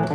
Bail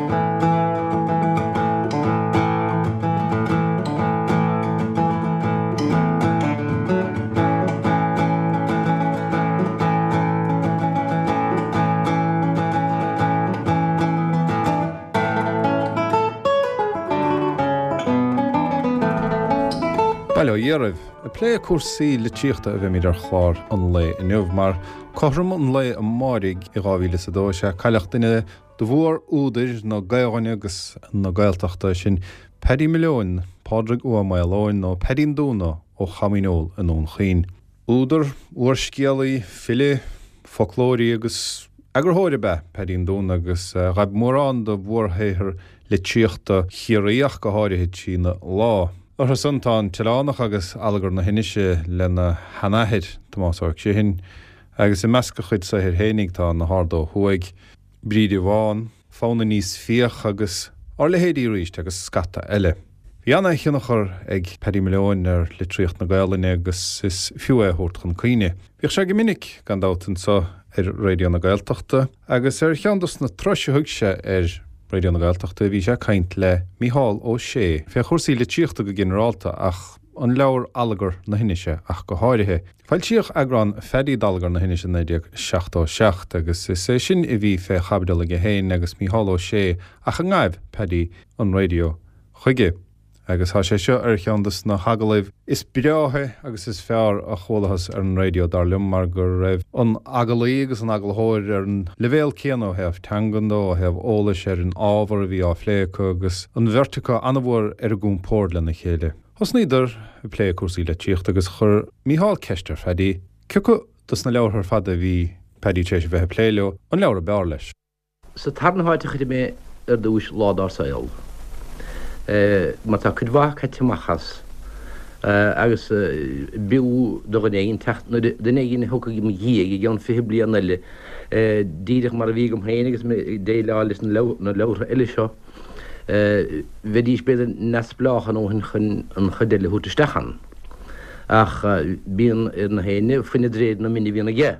ó Dhia oraibh. Ag plé cúrsaí litríochta a bheimid ar chlár an lae inniu, mar cothrom an lae amáirigh i 2002 is ea cailleadh duine de mhór-údair na Gaelainne agus na Gaeltachta, sin Paddy Mhileoin, Pádraig Ua Maoileoin nó Paidín Dúna ó Cham Fhíneol i nDún Chaoin. Údar, úrscéalaí, file, foclóirí agus eagarthóir ab ea Paidín Dúna agus ghaibh mórán de mhórshaothair litríochta Chiarraí ach go háirithe trína lámh. Orthu san tá An tOileánach agus Allagar na hInise lena sheanathair, Tomás Ó Criomhthain, agus i measc a chuid saothair fhéinig tá Na hArda Ó Thuaidh, Bríde Bhán, Fonn Aníos Fiach agus Ár Leithéidí Arís agus scata eile. Bhí ana-thionchar ag Paddy Mhileoin ar litríocht na Gaelainne agus is fiú é a thabhairt chun cuimhne. Bhíodh sé go minic, gan dabht, anseo ar Raidió na Gaeltachta agus ar cheann dos na turais a thug sé ar Raidió na Gaeltachta bhí sé ag caint le Mícheál Ó Sé fé chúrsaí litríochta go ginearálta ach an leabhar Allagar na hInise ach go háirithe. Foilsíodh eagrán Phaddy d'Allagar na hInise i 1977 agus is é sin a bhí fé chaibidil aige féin agus Mícheál Ó Sé ach a ngabh Paddy an raidió chuige. Agus tá sé seo ar cheann de na hagallaimh is breátha agus is fearr a chualathas ar an raidió, dar liom, mar go raibh an agallaí agus an agallaitheoir ar an leibhéal céanna ó thaobh teangan de, ó thaobh eolais ar an ábhar a bhí á phlé acu agus an bheirt acu an-mhór ar a gcompord lena chéile. Thosnaíodar ag plé cúrsaí litríochta agus chuir Mícheál ceist ar Phaddy cioca dos na leabhartha ar fad a bhí Paddy tar éis a bheith ag plé leo, an leabhar ab fhearr leis. Sa tarna háit a chuirfidh mé ar dtúis Lá Dár Saol, mar tá cuid mhaith caite amach as, agus b'fhiú do dhuine éigin teacht, nuair duine éigin a thiocfaidh i mo dhiaidh i gceann 20 bliain eile, díreach mar a bhí agam féin agus mé ag déileáil leis na leabhartha eile seo, bheidís b'fhéidir neamhspleách a ndóthain chun an chuid eile a thabhairt isteach ann. Ach bíonn ar na héinne fuineadh d'réir na mine a bhíonn aige.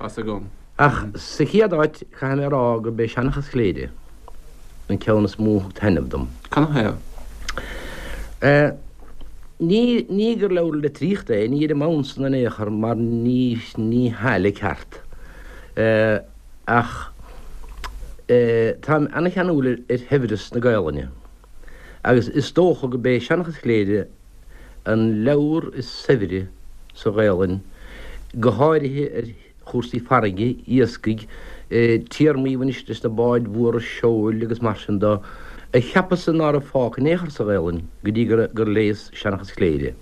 Tá's agam. Ach sa chéad áit, caithfidh mé a rá gurb é Seanchas Chléire an ceann is mó a thug taitneamh dom. Canathaobh? Ní, ní gur leabhar litríochta é, ní ar an mbonn san in aon chor mar ní, ní hea le ceart. Ach táim ana-cheanúil ar shaibhreas na Gaelainne agus is dócha gurb é Seanchas Chléire an leabhar is saibhre sa Ghaelainn, go háirithe ar chúrsaí farraige, iascaigh, téarmaí a bhaineas leis na báid mhóra seoil agus mar sin de, a cheapas-sa ná raibh fágtha in aon chor sa Ghaelainn go dtí gur léas Seanchas Chléire.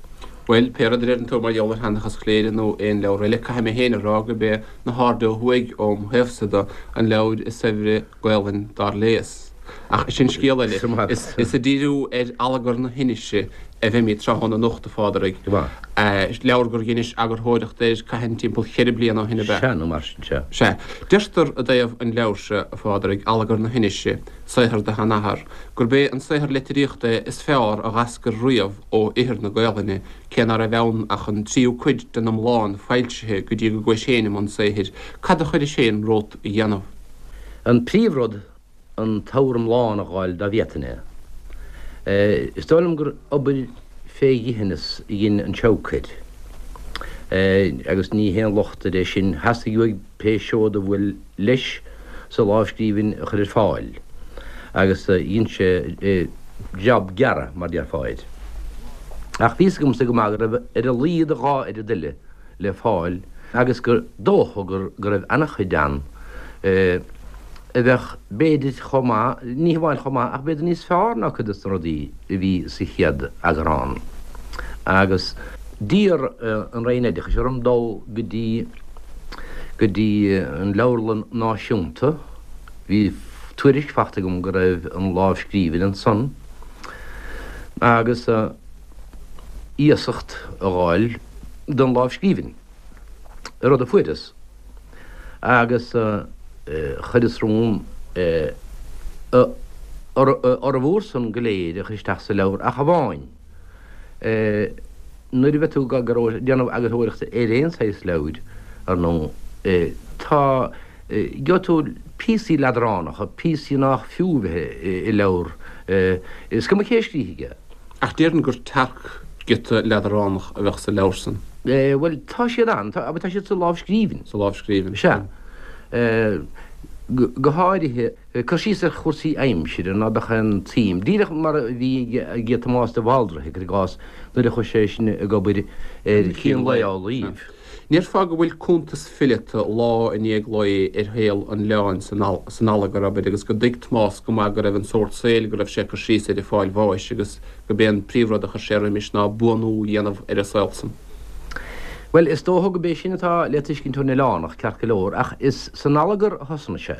Bhuel, pé rud a deireann tú mar gheall ar Sheanchas Chléire nó aon leabhar eile, caithfidh mé féin a rá gurb é Na hArda Ó Thuaidh, óm thaobhsa de, an leabhar is saibhre Gaolainn dár léas. Ach sin scéal eile. Is ag díriú ar Allagar na hInise a bheimid tráthnóna anocht, a Phádraig. Leabhar gur dheinis eagarthóireacht air cathain timpeall cheithre bliana ó shin ab ea? Sea, nó mar sin, sea. Sea. Deirtear i dtaobh an leabhair seo, a Phádraig, Allagar na hInise, saothar do sheanathar, gurb é an saothar litríochta é is fearr a dh'eascair riamh ó ithir na Gaolainne, cé ná raibh ann ach an tríú cuid den iomlán foilsithe go dtí go gcuais féin i mbun saothair. Cad a chuiris féin romhat a dhéanamh? An príomhrud, an t-abhar iomlán a dh'fháil dá bhféadfainn é. Is dóigh liom gur obair fé dhithineas a dhein an Seabhac air. Agus ní haon locht air é sin, theastaigh uaidh pé seod a bhuail leis sa lámhscríbhinn a chur ar fáil, agus dhein sé jab gearra, mar déarfá air. Ach bhí fhios agamsa go maith go raibh ar a laghad a dhá oiread eile le fáil agus gur dócha go raibh an-chuid ann a bheadh b'fhéidir chomh maith, ní hamháin chomh maith ach b'fhéidir níos fearr ná cuid de na rudaí a bhí sa chéad eagrán. Agus d'iarr an Roinn Oideachais orm dul go dtí go dtí an Leabharlann Náisiúnta, bhí tuairisc fachta agam go raibh an lámhscríbhinn ansan agus. iasacht a dh'fháil don lámhscríbhinn, rud a fuaireas, agus chuireas romham a fhormhór san go léir a chur isteach sa leabhar ach amháin nuair a bheidh tú ag déanamh eagarthóireachta ar aon saghas leabhair, ar ndóigh, tá, gheobhaidh tú. píosaí leadránacha, píosaí nách fiú bheith i leabhar, is cuma cé a scríobhfaidh é. Ach déarfainn gur tearc-ghiota leadránach a bheadh sa leabhar san. Bhuel, tá siad ann, tá, tá siad sa lámhscríbhinn. Sa lámhscríbhinn. Sea. Go háirithe, cur síos ar chúrsaí aimsire ná beadh aon tsuim, díreach mar a bhí ag Tomás de Bhaldraithe, cuir i gcás, nuair a chuaigh sé sin ag obair ar Chín Lae Amhlaoibh. Ndéarfá go bhfuil cuntas fileata lá i ndiaidh lae ar shaol an oileáin san Allagar, abair, agus go dtuig Tomás go maith go raibh an sórt saoil go raibh sé ag cur síos air ag fáil bháis agus go b'é an príomhrud a chuir sé roimis ná buanú a dhéanamh ar an saol san. Bhuel, is dócha go b'é sin atá le tuiscint ón Oileánach, ceart go leor, ach is san Allagar a thosnaigh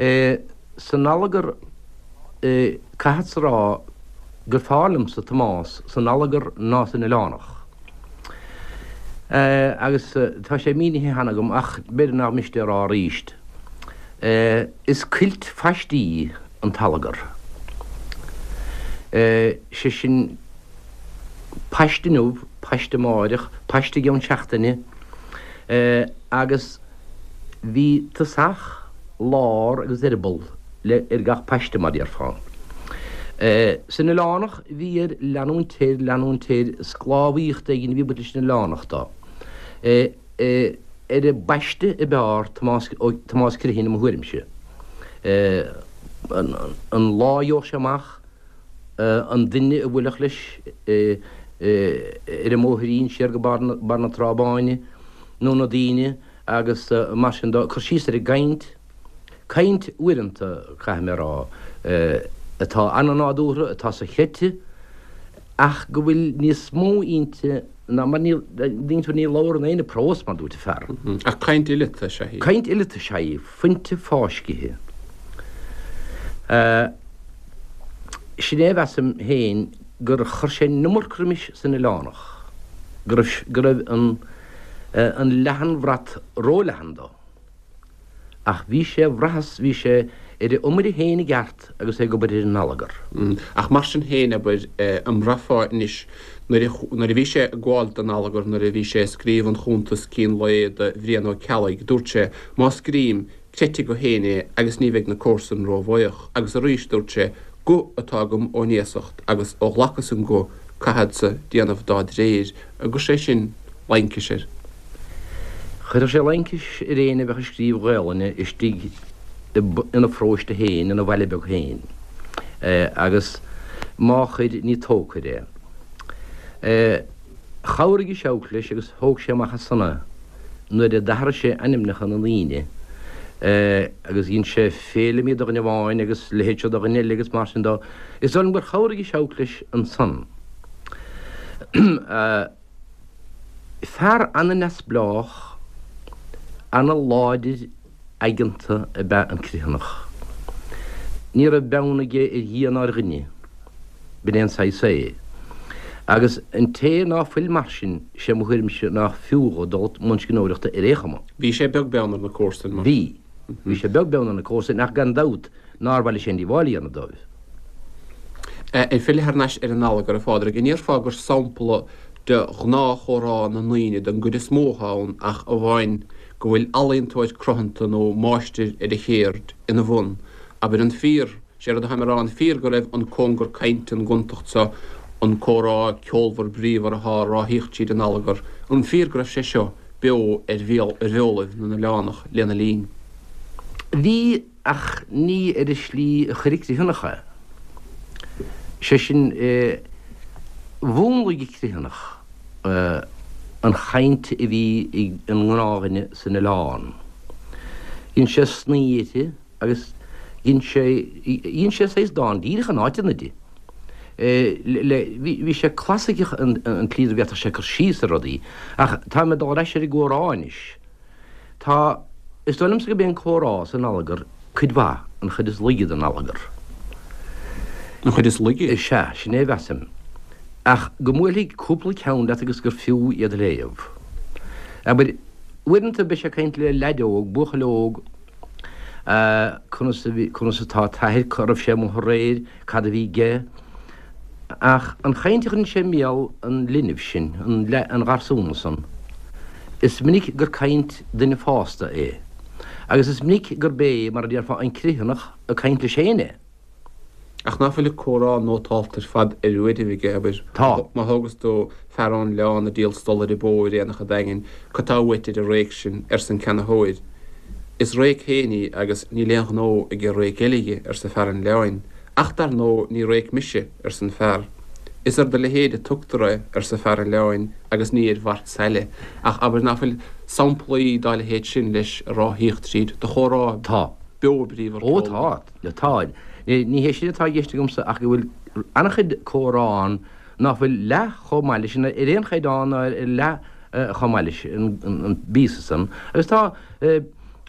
sé. San Allagar, caithfeadsa a rá gur fearr liomsa Tomás san Allagar ná san Oileánach. Agus tá sé mínithe cheana agam ach b'fhéidir nach miste a rá arís, is cuilt phaistí an t-allagar. Sé sin, paiste inniu, paiste amáireach, paiste i gceann seachtaine, agus bhí tosach, lár agus eireaball le ar gach paiste, mar déarfá. San Oileánach bhí air leanúint air, leanúint air, sclábhaíocht éigin a bhí ag baint leis an Oileánach dó. Ar an bpaiste ab fhearr Tomás, Tomás Criomhthain i mo thuairimse. An lá a gheobhadh sé amach an duine a bhuailfeadh leis ar an mbóithrín siar go barr na Trá Báine nó na daoine agus mar sin dó, cur síos ar an gcaint, Caint uaireanta, caithfidh mé a rá, atá an-nádúrtha, atá sochreidte, ach go bhfuil níos mó inti ná mar ní, ní labhrann éinne prós, mar dúirt an fear. Ach caint fhileata is ea í. Caint fhileata is ea í, fuinte fáiscithe. Sin é a mheasaim féin gur chuir sé an iomarca roimis san Oileánach, go raibh, go raibh an, an leathanbhrat róleathan dó. Ach bhí sé, bhraitheas, bhí sé ar a iomaire féin i gceart agus é ag obair ar an allagar. Ach mar sin féin, abair, an mbraithfeá anois, nuair a, nuair a bhí sé ag gabháil don allagar, nuair a bhí sé ag scríobh an chuntas Cín Lae do Bhrian Ó Ceallaigh, dúirt sé, má scrím, creidfidh go féin é agus ní bheidh na comharsain róbhuíoch. Agus arís dúirt sé, guth atá agam ón iasacht agus ó ghlacas an guth, caithfeadsa déanamh dá dréir. An gcuir sé sin laincis air. Chuirfeadh sé laincis ar éinne a bheadh ag scríobh Gaolainne istigh ina pharóiste féin, ina bhaile beag féin. Agus má chuir, ní tógtha air é. Chabhraigh an Seabhac leis agus thóg sé amach as san é nuair a d'athraigh sé ainmneacha na ndaoine agus dhein sé Féilimí do dhuine amháin agus leithéid seo do dhuine eile agus mar sin dó. Is dóigh liom gur chabhraigh an Seabhac leis ansan. Fear ana-neamhspleách, ana-láidir aigeanta ab ea an Criomhthanach. Ní raibh beann aige ar Dhia ná ar dhuine. B'in é an saghas é. Agus an té ná fuil mar sin, sé mo thuairimse nách fiú dhó dul i mbun scríbhneoireachta ar aon chuma. Bhí sé beag beann ar na comharsain, mar. Bhí. Bhí sé beag beann ar na comharsain ach gan dabht nár mhaith leis aon díobháil a dhéanamh dóibh. Ag filleadh thar n-ais ar an allagar, a Phádraig, an ndéarfá gur sampla de ghnáthchomhrá na ndaoine den gcuid is mó atá ann ach amháin go bhfuil ealaíontóir cruthanta nó máistir ar a chéird ina bhun? Abair, an fíor, sé rud atáim a rá, an fíor go raibh an cóngar cainte, an gontacht seo, an comhrá ceolmhar bríomhar atá á ráthaíocht tríd an allagar, an fíor go raibh sé seo beo ar bheolaibh na n-oileánach lena linn? Bhí. Ach ní ar an slí a chuir an Criomhthanach é. Sé sin, mhúnlaigh an Criomhthanach an chaint a bhí ag an ngnáthdhuine san oileán. Dhein sé snoí uirthi agus dhein sé, dhein sé saghas dán díreach in áiteanna di. Bhí sé clasaiceach an tslí a bhféadfadh sé cur síos ar rudaí. Ach táim ag dul ar ais ar an gcomhrá anois. Tá, is dóigh liomsa gurb é an comhrá san allagar cuid mhaith, an chuid is laige den allagar. An chuid is laige? Is ea, sin é a mheasaim. Ach go mbuailfidh cúpla ceann leat agus gur fiú iad a léamh. Abair, uaireanta beidh sé ag caint le leaid óg, buachaill óg, conas a bhí, conas atá t'athair, cá raibh sé amuigh aréir, cad a bhí aige. Ach an chaint a chuireann sé i mbéal an linbh sin, an gharsúna san, is minic gur caint duine fásta é. Agus is minic gurb é, mar a déarfá, an Criomhthanach ag caint leis féin é. Ach ná fuil an comhrá nótálta ar fad ar uairibh aige, abair, Tá. má thógas tú fear ón oileán ag díol stollaire bó ar aonach an Daingin, cad tá uait ar an réic sin, arsa an ceannaitheoir. Is réic féin í agus níl aon ghnó ag an réic eile dhi, arsa fear an oileáin. Ach dar ndóigh ní réic mise, arsa an fear. Is ar do leithéid a tugtar é, arsa fear an oileáin, agus ní ar mhart saile. Ach abair ná fuil samplaí dá leithéid sin leis ag ráthaíocht tríd do chomhrá Tá. beo bríomhar Ó tá. Tá. Ní hé sin atá i gceist agamsa ach go bhfuil an-chuid comhrá ann ná fuil leath chomh maith leis, ar aon chaighdeán ná ar leath chomh maith leis an bpíosa san. Agus tá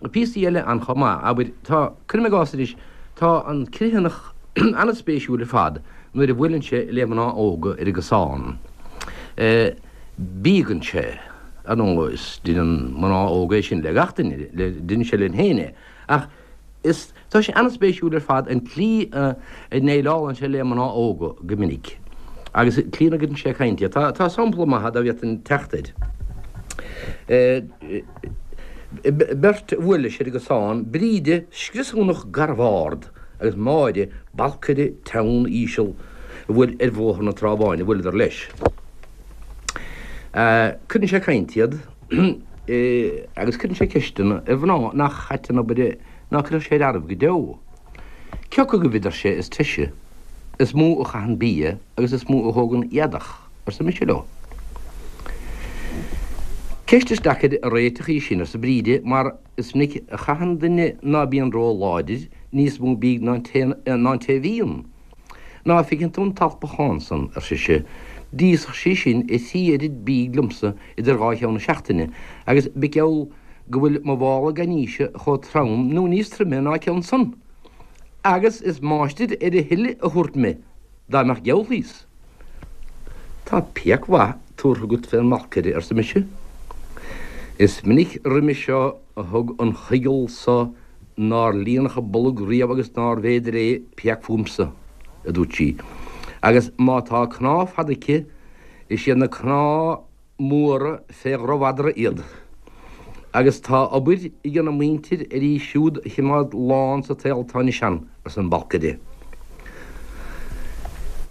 píosaí eile ann chomh maith. Abair, tá, cuirim i gcás anois, tá an Criomhthanach an-spéisiúil ar fad nuair a bhuaileann sé le mná óga ar an gcosán. Bíogann sé, ar ndóigh, is deineann mná óga é sin le gach duine, deineann sé linn féin é, ach, Is tá sé an-spéisiúil ar fad an tslí a ndéileálann sé le mná óga go minic agus an tslí ina gcuireann sé ag caint iad. Tá sampla maith dá bhféadfainn teacht air. Beirt a bhuail leis ar an gcosán, Bríde, scriosúnach garbh ard, agus Máire, balcaire teann íseal a bhuail ar Bhóthar na Trá Báine, bhuaileadar leis. Cuireann sé ag caint iad. agus cuireann sé ceisteanna ar mhná nach ait an obair é ná cuirfeadh sé ar fhearaibh go deo. Cé acu agaibh, a deir sé, is treise, is mó a chaitheann bia agus is mó a thógann éadach, arsa mise leo. Ceist is deacair a réiteach í sin, arsa Bríde, mar is minic a chaitheann duine ná bíonn ró-láidir níos mó bídh ná an té a bhíonn. Ná feiceann tú an t-alpachán san, ar sise, d'íosfadh sí sin a thrí oiread bídh liomsa idir dhá cheann na seachtaine, agus b'gheall go bhfuil mo mhála gainíse chomh trom nó níos troime ná a ceann san. Agus is máistir ar a thuilleadh a thabhairt me, dá mbeadh geall thíos. Tá péac mhaith tabhartha agat fén mbalcaire, arsa mise. Is minic roimhe seo a thug an choigeal so nár líonadh a bolg riamh agus nárbh fhéidir é péac fúmsa, a dúirt sí, agus má tá cnámh fada aici, is iad na cnámha móra fé dhromhadra iad. Agus tá obair ag an muintir ar í siúd a chimeád lán sa tsaol atá anois ann, arsa an balcaire.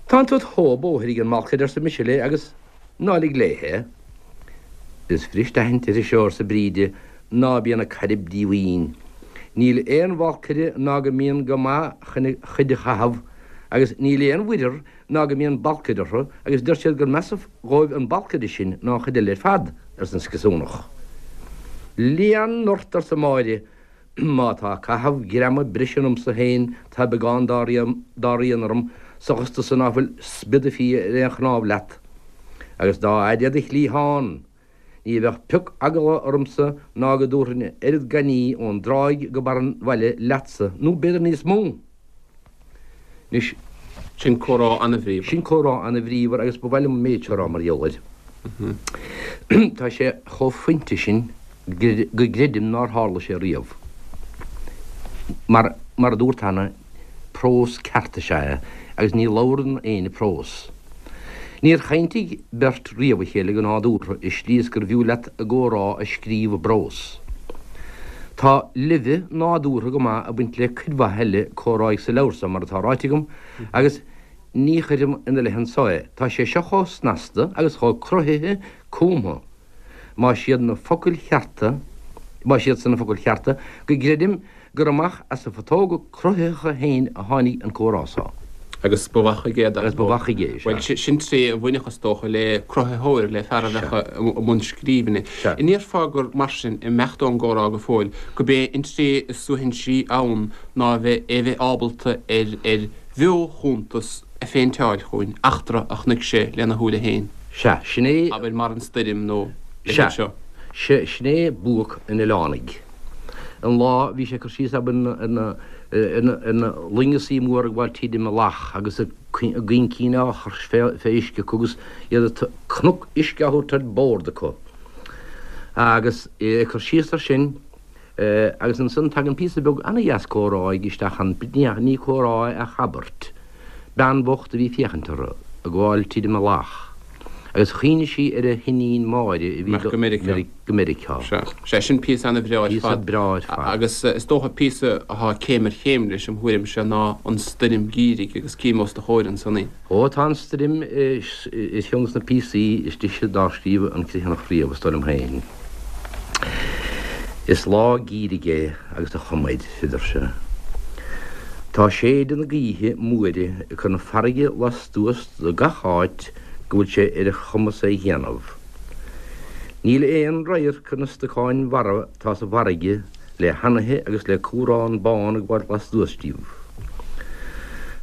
Tá an togha bóthair ag an mbalcaire, arsa mise léi, agus Ná lig léi é. Is fuirist aithint uirthi seo, arsa Bríde, ná bíonn ag cairb díomhaoin. Níl aon bhalcaire ná go mbíonn go maith chun a chuid a chaitheamh, agus níl aon mhuirear ná go mbíonn balcaire orthu, agus deir siad gur measa dhóibh an balcaire sin ná an chuid eile ar fad, arsa an scriosúnach. Lean ort, arsa Máire, Má tá caitheamh greama breise ionamsa féin tá beagán dá rian orm sa ghusta so ná fuil spioda fia ar aon chnámh leat. Agus dá fhaide é do chliathán, ní bheadh pioc eagla ormsa ná go dtabharfainn a oiread gainní ón dtráigh go barr an bhaile leatsa, nó b'fhéidir níos mó. Anois. Sin comhrá an-bhríomhar. Sin comhrá an-bhríomhar agus ba mhaith liom an méid seo a rá mar gheall air. Tá sé chomh fuinte sin go gcreidim nár tharla sé riamh. Mar, mar a dúrt cheana, prós ceart is ea é agus ní labhrann éinne prós. Níor chaintigh beirt riamh a chéile go nádúrtha i slí is gurbh fhiú leat a gcomhrá a scríobh i bprós. Tá leimhe nádúrtha go maith ag baint le cuid mhaith eile comhráidh sa leabhar so, mar atá ráite agam, agus ní chuirim ina leith anso é. Tá sé seo chomh snasta agus chomh cruthaithe cumtha, más iad na focail chearta, más iad san na focail chearta, go gcreidim gur amach as a phutóga cruthaitheacha féin a tháinig an comhrá so. Agus ba mhaith chuige é, dar Agus ba mhaith chuige é, sea. Bhuel, sin tréith a bhainfeadh, is dócha, le cruthaitheoir, le fear a bheadh i mbun scríbhinne. Sea. An ndéarfá gur mar sin, ag imeacht ón gcomhrá go fóill, gurb é an tréith is suaithinsí ann ná a bheith, é a bheith ábalta ar, ar bheo-chuntas a phéinteáil chugainn, eachtra a chonaic sé lena shúile féin. Sea, sin é. Abair mar an stoirm nó a leithéid seo. Sea, sin é buaic an oileánaigh. An lá bhí sé ag cur síos ar na ar na loingeasaí móra ag gabháil tríd an mbealach agus a gcoincín á chur fé uisce acu agus iad cnoc uisce á thabhairt ar bord acu. Agus é ag cur síos ar sin agus ansan tagann píosa beag ana-dheas comhráidh isteach ann, ní comhrá é ach abairt. Bean bhocht a bhí ag féachaint orthu ag gabháil tríd an mbealach. Agus chuimhnigh sí ar a hiníon Máire a bhí go Meiriceá. Go Meiriceá. Sea. Sea, sin píosa ana-bhreá ar fad. Píosa breá ar fad. Agus is dócha píosa atá céim ar chéim leis, im thuairimse, ná an Stoirm Gheimhridh agus cím os do chomhair ansan í. Ó, tá an Stoirm ar cheann de na píosaí is deise dár scríobh an Criomhthanach riamh, is dóigh liom féin. Is lá geimhridh é agus tá chuma air, a deir sé. Tá séideadh na gaoithe móire ag cur na farraige lastuas de gach áit go bhfuil sé ar a chumas é dhéanamh. Níl aon radharc ar na stocáin mharbha atá sa bhfarraige le hanaithe agus le cumhrán bán ag gabháil lastuas díobh.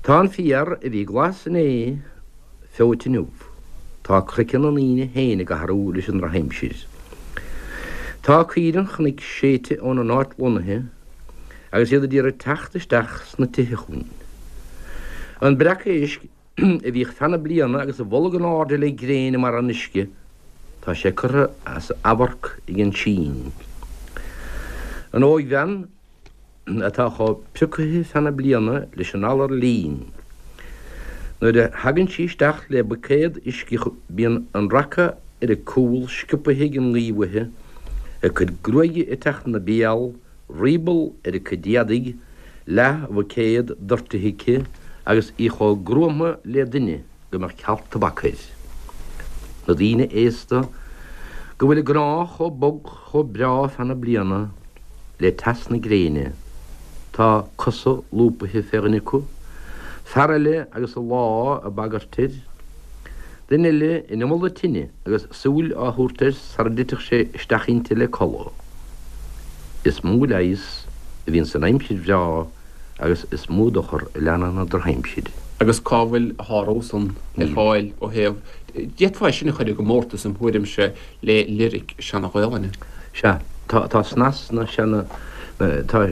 Tá an féar a bhí glas inné feoite inniu. Tá craiceann na ndaoine féin ag athrú leis an ndrochaimsir. Tá caoire an chnoic séidte óna n-áit lonnaithe agus iad a d'iarraidh teacht isteach sna tithe chugainn. An breac éisc a bhíodh feadh na bliana agus a bholg in airde le gréin i mbarra an uisce, tá sé curtha as amharc ag an sín. An óigbhean atá chomh priocaithe feadh na bliana leis an alar lín, nuair a thagann sí isteach le buicéad uisce bíonn an raca ar a cúl sciobtha ag an ngaoth uaithi, a cuid gruaige ag teacht ina béal, rioball ar a cuid éadaigh, leath-bhuicéad doirtithe aici agus í chomh gruama le duine go mbeadh cealt tobac air. Na daoine aosta go bhfuil a gcnámha chomh bog chomh breá feadh na bliana le teas na gréine, tá cosa lúbaithe fé dhuine acu, fear eile agus a lámh ag bagairt air, Duine eile in iomall na tine agus súil á thabhairt air sara dtitfeadh sé isteach inti le codladh. Is mó leigheas a bhíonn san aimsir bhreá agus is mó dochar a leanann an drochaimsir. Agus cá bhfuil a shárú san ar fáil ó thaobh, d'fhéadfá é sin a chur i gcomórtas im thuairimse le liric Seana-Ghaolainne. Sea, tá, tá snas na seana, tá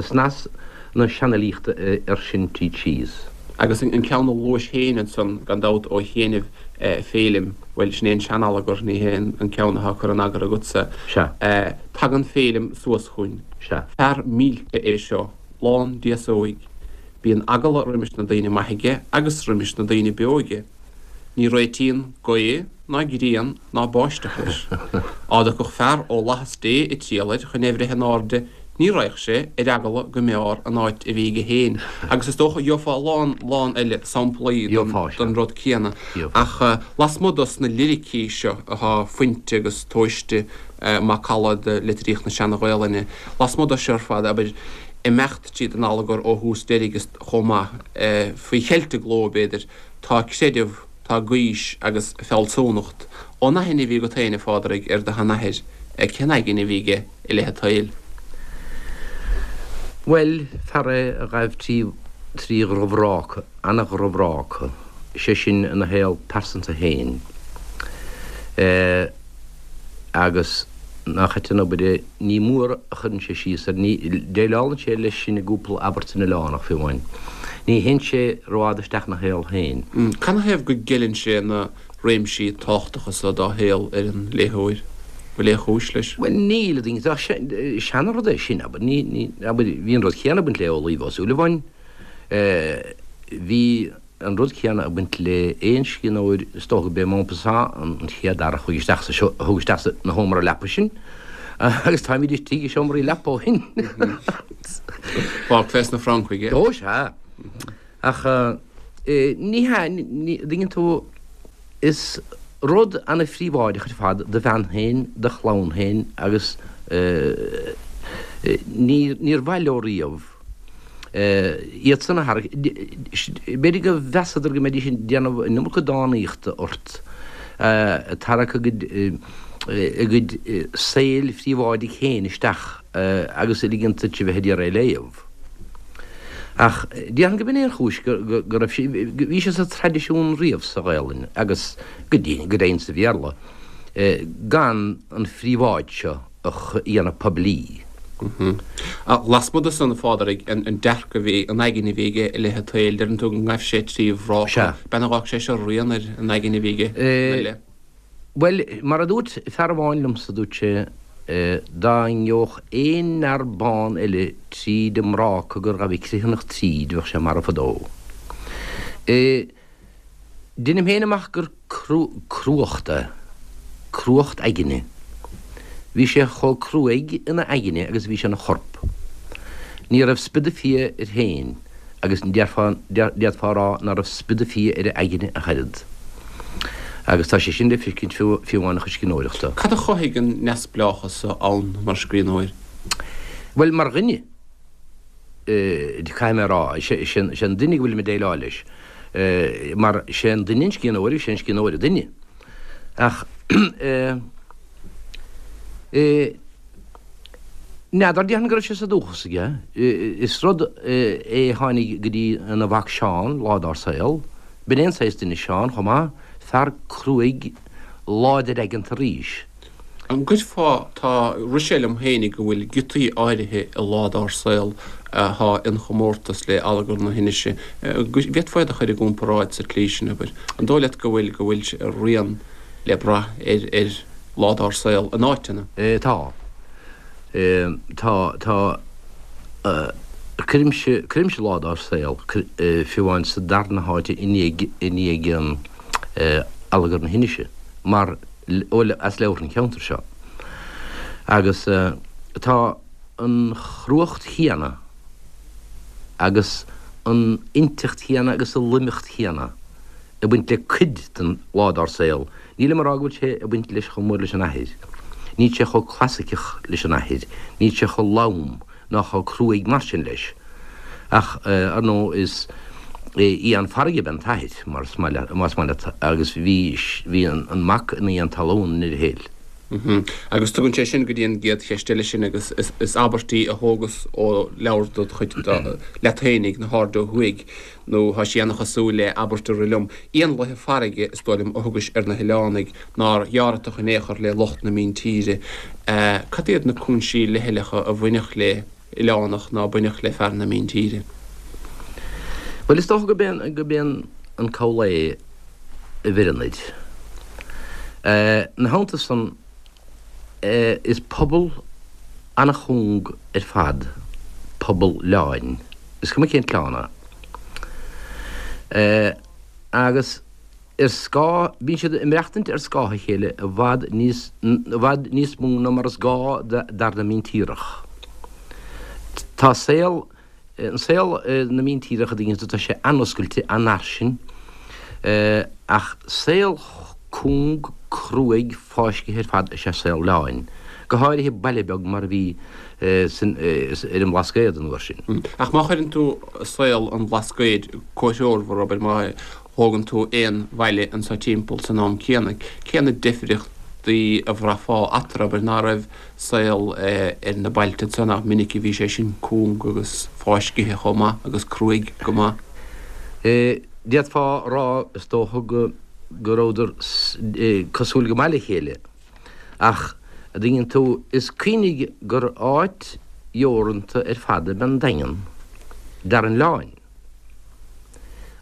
snas na seanfhilíochta air sin tríd síos. Agus an ceann a luais féin ansan, gan dabht, ó chianaibh, Féilim, bhuel, sin é an sean-allagar, ní hé an ceann atá curtha in eagar agatsa. Sea. Tagann Féilim suas chugainn. Sea. Fear millte é seo, lán d'aosóig. Bíonn eagla roimis na daoine maithe aige agus roimis na daoine beo aige. Ní réitíonn gaoth ná grian ná báisteach leis. Á dtiocfadh fear ó fhlaitheas Dé ag triall air chun é bhreith in airde, ní raghadh sé, ar eagla go mb'fhearr an áit a bhí aige féin. Agus is dócha, gheofá a lán, lán eile samplaí den rud céanna. Ach lasmuigh dos na liricí seo atá fuinte agus tomhaiste macalla de litríocht na Seana-Ghaolainne, lasmuigh de seo ar fad, abair, imeacht tríd an allagar ó thús deiridh is chomh maith, faoi cheilt a gcló, b'fhéidir, Tá creideamh, tá gaois agus fealsúnacht. Ón aithne a bhí agat féin, a Phádraig, ar do sheanathair, cén aigne a bhí aige i leith an tsaoil? Bhuel, fear é a ghaibh trí dhrochbhráca, ana-dhrochbhráca, sé sin ina shaol pearsanta féin. Agus nach ait an obair é, ní mór a chuireann sé síos air, ní, déileálann sé leis sin i gcúpla abairt san Oileánach, fiú amháin. Ní théann sé rófhada isteach ina shaol féin. Canathaobh go gceileann sé na réimsí tábhachtacha so dá shaol ar an léitheoir? Bhfuil aon chúis leis? Bhuel, níl, a dhaoine, ach seanrud é sin, abair, ní, ní, abair, bhí an rud céanna ag baint le Amhlaoibh Ó Súilleabháin, bhí, An rud céanna ag baint le aon scríbhneoir, is dócha gurb é Maupassant an chéad fhear a chuaigh isteach sa a thug isteach sa sheomra leapa sinn, agus táimid istigh i seomraí leapa ó shin. Fág fés na Francaigh é. Ó, sea. Ach ní hea, ní, dtuigeann tú, is rud ana-phríobháideach ar fad do bhean féin, do chlann féin agus ní, níor mhaith leo riamh, iadsan a tharrac, b'fhéidir go mheasadar go mbeidís ag déanamh an iomarca dánaíochta ort, ag tarrac a gcuid, a gcuid saoil phríobháidigh féin isteach agus ag ligean duit a bheith ag iarraidh é a léamh. Ach déarfainn go b'in é an chúis go raibh sé, bhí sé sa traidisiún riamh sa Ghaelainn agus go deimhin sa Bhéarla, gan an phríobháid seo a dhéanamh poiblí. Ach lasmuigh de san, a Phádraig, an dearcadh a bhí, an aigne a bhí aige i leith an tsaoil, deireann tú go ngaibh sé trí bhráca. Sea. B'ea nár dh'fhág sé seo rian ar an aigne a bhí aige ina leith? Bhuel, mar a dúirt fear amháin liomsa, dúirt sé, dá ngeobhadh aon fhear bán eile tríd an mbráca gur ghabh an Criomhthanach tríd, bheadh sé marbh fadó. Deinim féin amach gur. cruachta, cruacht aigne. Bhí sé chomh cruaidh ina aigne agus a bhí sé ina chorp. Ní raibh spido fia air féin agus d'fhéadfá a rá ná raibh spido fia ar a aigne ach oiread. Agus tá sé sin le feiscint fiú amháin ina chuid scríbhneoireachta. Cad a chothaigh an neamhspleáchas so ann mar scríbhneoir? Bhuel, mar dhuine, caithfidh mé a rá, is é an duine go bhfuilim ag déileáil leis, mar is é an duine an scríbhneoir agus is é an scríbhneoir an duine. Ach n'fheadar, déarfainn go raibh sé sa dúchas aige. Is rud é a tháinig go dtí ina mhac Seán lá dár saol. B'in é an saghas duine Seán chomh maith, fear cruaidh láidir aigeanta arís. An gcuirfeá, tá, rith sé liom féinig go bhfuil giotaí áirithe i Lá Dár Saol athá inchomórtas le Allagar na hInise, bhféadfá iad a chur i gcomparáid sa tslí sin, abair? An dóigh leat go bhfuil, go bhfuil rian le brath ar, ar Lá Dár Saol in áiteanna? Tá. Tá, tá, cuirimse, cuirimse Lá Dár Saol, fiú amháin sa darna háit i ndiaidh, i ndiaidh Allagar na hInise, mar, as leabhartha an cheantair seo. Agus tá an chruacht chéanna agus an inteacht chéanna agus an loimeacht chéanna ag baint le cuid den Lá Dár Saol. Nílim ag rá go bhfuil sé ag baint leis chomh mór leis an athair. Níl sé chomh clasaiceach leis an athair. Níl sé chomh lom. ná chomh cruaidh mar sin leis. Ach, ar ndóigh, is éan farraige ab ea an t-athair, mar is maith leat, más maith leat, agus bhí, bhí an mac ina éan talún i ndeireadh thiar. Agus tugann sé sin go dtí an gcéad cheist eile sin, agus is abairt í a thógas ó leabhar dod chuid leat fhéinig, Na hAirde Ó Thuaidh, nó tá sí ana-chosúil le abairt a rith liom, Éanlaithe farraige, is dóigh liom, a thugais ar na hoileánaigh, nár dheáratach in aon chor le lucht na míntíre. Cad iad na cúinsí leithleacha a bhainfeadh le hoileánach ná bainfeadh le fear na míntíre? Bhuel, is dócha gurb é an cabhlach é a bheireann air. Ina theannta san, is pobal an-chúng ar fad pobal oileáin, is cuma cén t-oileán é. Agus ar scáth, bíonn siad ag maireachtaint ar scáth a chéile i bhfad níos, i bhfad níos mó ná mar is gá d'fhear na míntíreach. Tá saol, an saol na míntíreach a dtuigeann tú, tá sé an-oscailte, an-fhairsing, ach saol cúng, cruaidh, fáiscthe ar fad is ea saol oileáin, go háirithe baile beag mar a bhí san, ar an mBlascaod an uair sin. Ach má chuireann tú saol an Bhlascaoid comhthreomhar, abair, má thógann tú aon bhaile anso timpeall san am céanna, cé na difríochtaí a bhraithfeá eatarthu, abair, ná raibh saol ar na bailte anso, nach minic a bhí sé sin cúng agus fáiscithe chomh maith agus cruaidh go maith. D'fhéadfá a rá, is dócha, go go rabhadar cosúil go maith le chéile. Ach, a dtuigeann tú, is cuimhnigh gur áit dheoranta ar fad ab ea an Daingean d'fhear an oileáin.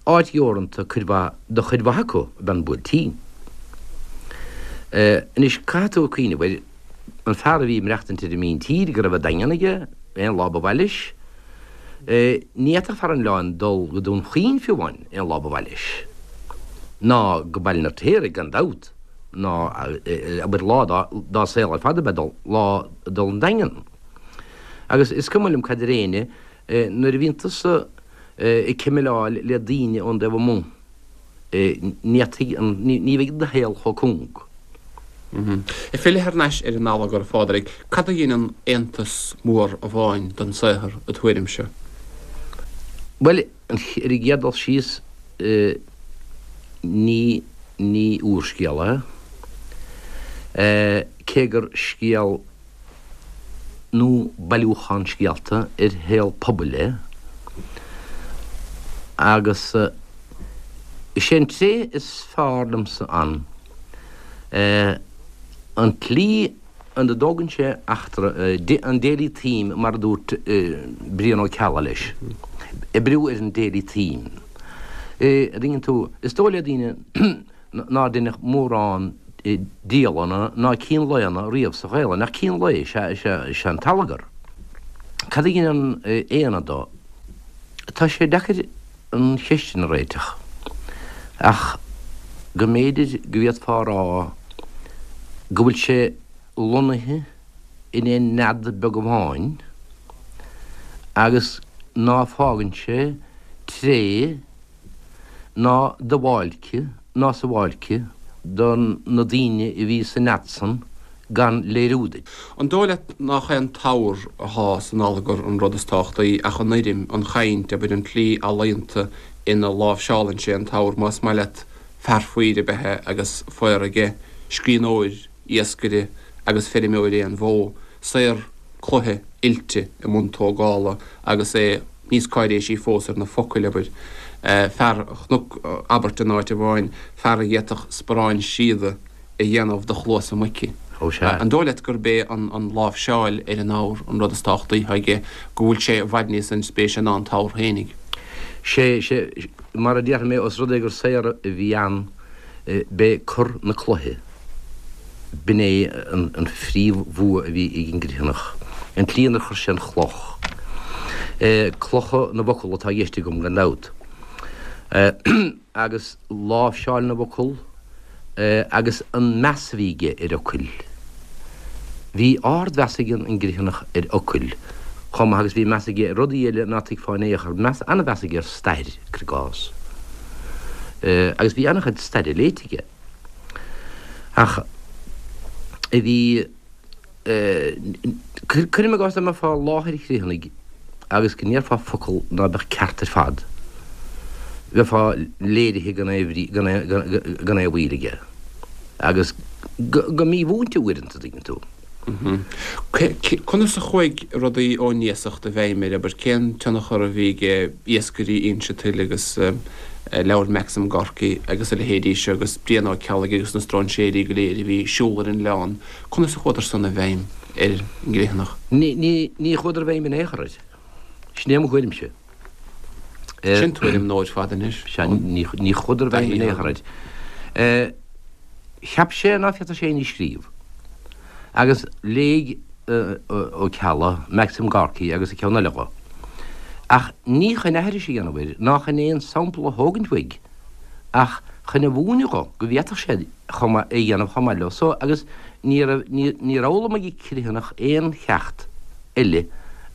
Áit dheoranta cuid mhaith do chuid mhaith acu ab ea an Buailtín. Anois, caithfidh tú cuimhneamh air, an fear a bhí ag maireachtaint ar an míntír, go raibh an Daingean aige aon lá ba mhaith leis. Ní fhéadfadh fear an oileáin dul go Dún Chaoin fiú amháin aon lá ba mhaith leis. Ná go Baile an Fheirtéaraigh, gan dabht, ná, abair, lá dá saol ar fad ab ea dul, lá dul an Daingean. Agus is cuma liom cad deir éinne, Nuair a bhíonn tusa ag cimileáil le daoine ón dtaobh amuigh, ní fhéadfaidh an, ní bheidh do shaol chomh cúng. Ag filleadh thar n-ais ar an allagar, a Phádraig, cad a dheineann aontas mór amháin den saothar, id thuairimse? Bhuel, ar an gcéad dul síos, ní, ní úrscéal é, cé gur scéal, nó bailiúchán scéalta ar shaol pobail é, agus is é an tréith is fearr liomsa ann an tslí ina dtógann sé eachtra, an daily theme mar a dúirt Brian Ó Ceallaigh leis, oibriú ar an daily theme. A dtuigeann tú, is dóigh le daoine nár deineadh mórán dialanna ná cinn laonna riamh sa Ghaelainn, ach cinn lae is ea an t-allagar. Cad a dheineann aonad dó? Tá sé deacair an cheist sin a réiteach, ach. go mb'fhéidir go bhféadfá a rá go bhfuil sé lonnaithe in aon nead beag amháin agus ná fágann sé tréith ná duáilce ná sabháilce do na daoine a bhí sa nead san gan léiriú duit. An dóigh leat nach é an t-abhar athá san allagar an rud is tábhachtaí ach an fhoirm, an chaint, abair, an tslí ealaíonta ina láimhseálann sé an t-abhar, más maith leat, fear faoir ab ea é agus faora aige, scríbhneoir, iascaire agus feirmeoir é an bhó, saor cloiche oilte i mbun tógála agus é níos cáiréisí fós ar na focail, abair, fear, chonac abairt in áit amháin, fear a d'fhéadfadh sparán síoda a dhéanamh de chluasa muice. Ó sea. An dóigh leat gurb é an láimhseáil ar an abhar an rud is tábhachtaí atá aige, go bhfuil sé i bhfad níos inspéise ná an t-abhar fhéinig? Sé, sé, mar a déarfaidh mé, os rud é gur saor a bhí ann, b'é cur na cloiche, b'in é an phríomhbhua a bhí ag an gCriomhthanach, an tslí inar chuir sé an chloch. Clocha na bhfocal atá i gceist agam, gan dabht. Agus láimhseáil na bhfocal, agus an meas a bhí aige ar fhocail. Bhí ardmheas ag an gCriomhthanach ar fhocail chomh maith agus bhí meas aige ar rudaí eile ná tuigfeá in aon chor, meas, an-mheas aige ar stair, cuir i gcás. Agus bhí an-chuid staire léite aige. Ach bhí. Cuirim i gcás dá mbeifeá i láthair an Chriomhthanaigh agus go ndéarfá focal ná beadh ceart ar fad, bheifeá léirithe gan aon bhrí, gan aon mhoill aige. Agus go mímhúinte uaireanta, tuigeann tú. Conas a chuaigh rudaí ón iasacht i bhfeidhm air, abair, cén tionchar a bhí ag Iascairí Inse Tuile agus leabhair Maxim Gorky agus a leithéidí seo agus Brian Ó Ceallaigh agus na stróinséirí go léir a bhí ag siúl ar an oileán, Conas a chuadar san i bhfeidhm ar an gCriomhthanach? Ní chuadar i bhfeidhm in aon chor air. Sin é mo thuairimse. Sin tuairim nua ar fad anois. Sea, ní chuadar i bhfeidhm in aon chor air. Cheap sé ná féadfadh sé aon ní a scríobh. Agus léigh Ó Ceallaigh, Maxim Gorky agus an ceann eile dho. Ach ní chun aithris a dhéanamh air ná chun aon sampla a thógaint uaidh ach chun a mhúineadh dho go bhféadfadh sé chomh maith, é a dhéanamh chomh maith leo so agus ní raibh, níor fhoghlaim an Criomhthanach aon cheacht eile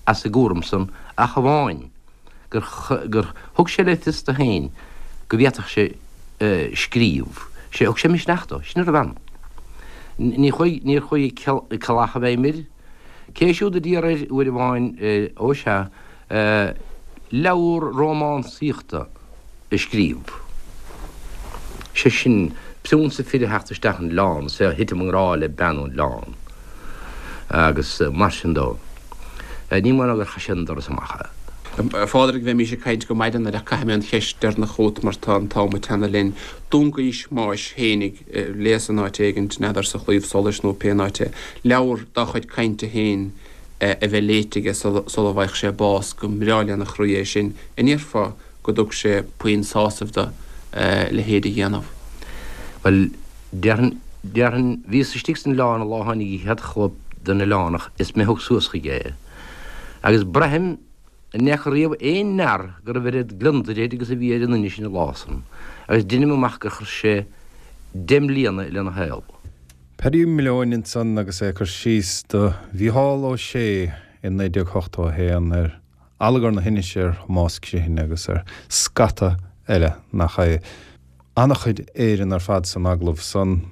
as an gcúram san ach amháin gur, gur thug sé le fios do féin go bhféadfadh sé scríobh. Sé, thug sé misneach dó, sin a raibh ann. Ní chuaigh, níor chuaigh Ceallach i bhfeidhm air. Cé siúd a d'iarr air uair amháin, ó sea, leabhar rómánsaíochta a scríobh. Sé sin, priúnsa fir a theacht isteach an oileán is é a thitim i ngrá le bean ón oileán agus mar sin dó. Ní mór ná gur chaith sé an doras amach é. A Phádraig, bheimís ag caint go maidin ach caithfidh mé an cheist deireanach chugat mar tá an t-am ag teannadh linn. Dúnghaois Thomáis fhéinig, léas in áit éigint, n'fheadar sa Chlaíomh Solais nó pé áit é, leabhar dá chuid cainte féin a bheith léite aige sula bhfaigheadh sé bás, go mbreá lena chroí é sin. An ndéarfá go dtug sé puinn sásaimh do a leithéid a dhéanamh? Bhuel, déarfainn, déarfainn, bhíos istigh san oileán an lá a tháinig an chéad chóip den Oileánach is mé a thug suas chuige é. Agus braithim an bhfaca riamh aon fhear go raibh oiread gliondair air agus a bhí ar an nduine sin an lá san, agus deinim amach gur chuir sé deich mbliana lena shaol. Paddy Malone ansan agus é ag cur síos do Mhícheál Ó Sé i 1981 ar Allagar na hInise, ar Thomás Criomhthain agus ar scata eile nach é. Ana-chuid Éireann ar fad san agallamh san.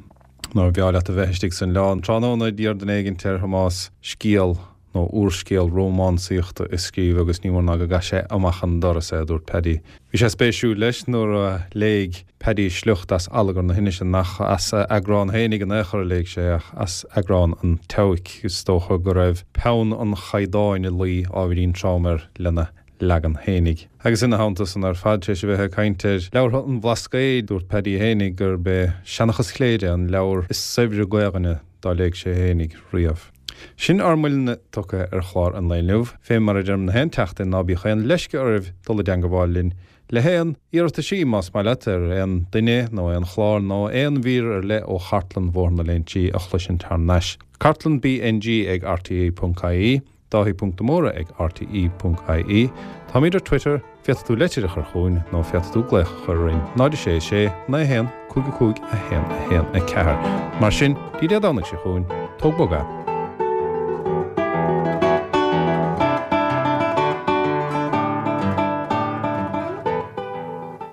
Nár bhreá leat a bheith istigh san oileán tráthnóna d'iarr duine éigint ar Thomás scéal nó úrscéal rómánsaíochta a scríobh agus ní mór ná go gcaith sé amach an doras é, a dúirt Paddy. Bhí sé spéisiúil leis nuair a léigh Paddy sliocht as Allagar na hInise, nach as a eagrán fhéinig in aon chor a léigh sé ach as eagrán an tSeabhaic. Is dócha go raibh peann an chaighdeáin ag luí ábhairín trom air lena leagan fhéinig. Agus ina theannta san ar fad, tar éis a bheith ag caint ar leabhartha an Bhlascaoid, dúirt Paddy fhéinig gurb é Seanchas Chléire an leabhar is saibhre Gaelainne dá léigh sé fhéinig riamh. Sin ár mbuille tugtha ar chlár an lae inniu. Fé mar a deirim na haon tseachtain, ná bíodh aon leisce oraibh dul i dteangabháil linn le haon iarrataisí, más maith leat, ar aon duine nó aon chlár nó aon mhír ar leith ó chartlann Bhóthar na Léinsí a chloisint thar n-ais. Cartlann BNG ag rte.ie, Dáithí ponc de Mórdha ag rte.ie. Táimid ar Twitter. Féadfaidh tú leitir a chur chugainn nó féadfaidh tú glaoch a chur orainn, 0 6 6 9 1 5 5 1 1 4. Mar sin, dtí Dé Domhnaigh seo chugainn, tóg bog é.